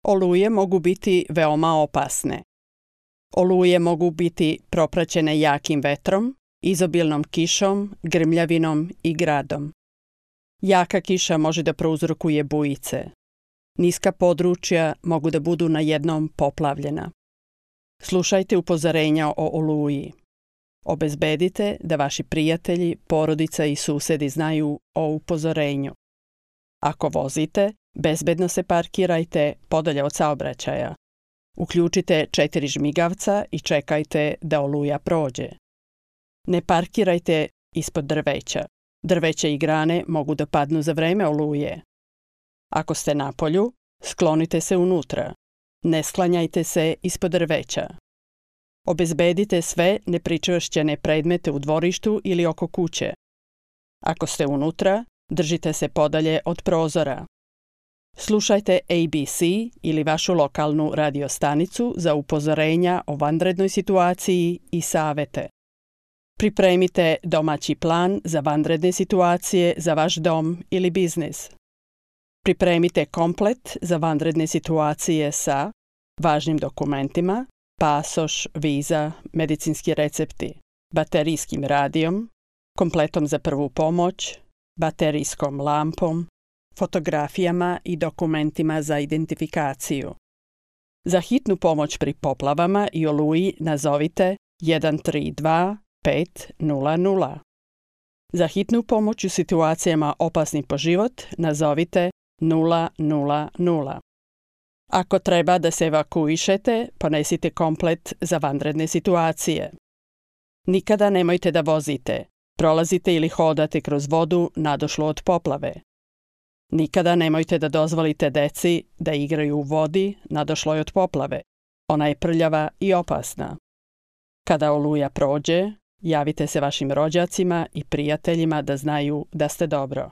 Oluje mogu biti veoma opasne. Oluje mogu biti propraćene jakim vetrom, izobilnom kišom, grmljavinom i gradom. Jaka kiša može da prouzrokuje bujice. Niska područja mogu da budu na jednom poplavljena. Slušajte upozorenja o oluji. Obezbedite da vaši prijatelji, porodica i susedi znaju o upozorenju. Ako vozite, bezbedno se parkirajte podalje od saobraćaja. Uključite 4 žmigavca i čekajte da oluja prođe. Ne parkirajte ispod drveća. Drveće i grane mogu da padnu za vreme oluje. Ako ste na polju, sklonite se unutra. Ne sklanjajte se ispod drveća. Obezbedite sve nepričvršćene predmete u dvorištu ili oko kuće. Ako ste unutra, držite se podalje od prozora. Slušajte ABC ili vašu lokalnu radio stanicu za upozorenja o vanrednoj situaciji i savete. Pripremite domaći plan za vanredne situacije za vaš dom ili biznis. Pripremite komplet za vanredne situacije sa važnim dokumentima, pasoš, viza, medicinski recepti, baterijskim radijom, kompletom za prvu pomoć, baterijskom lampom, fotografijama i dokumentima za identifikaciju. Za hitnu pomoć pri poplavama i oluji nazovite 132 500. Za hitnu pomoć u situacijama opasnih po život nazovite 000. Ako treba da se evakuišete, ponesite komplet za vanredne situacije. Nikada nemojte da vozite, prolazite ili hodate kroz vodu nadošlu od poplave. Nikada nemojte da dozvolite deci da igraju u vodi nadošloj od poplave. Ona je prljava i opasna. Kada oluja prođe, javite se vašim rođacima i prijateljima da znaju da ste dobro.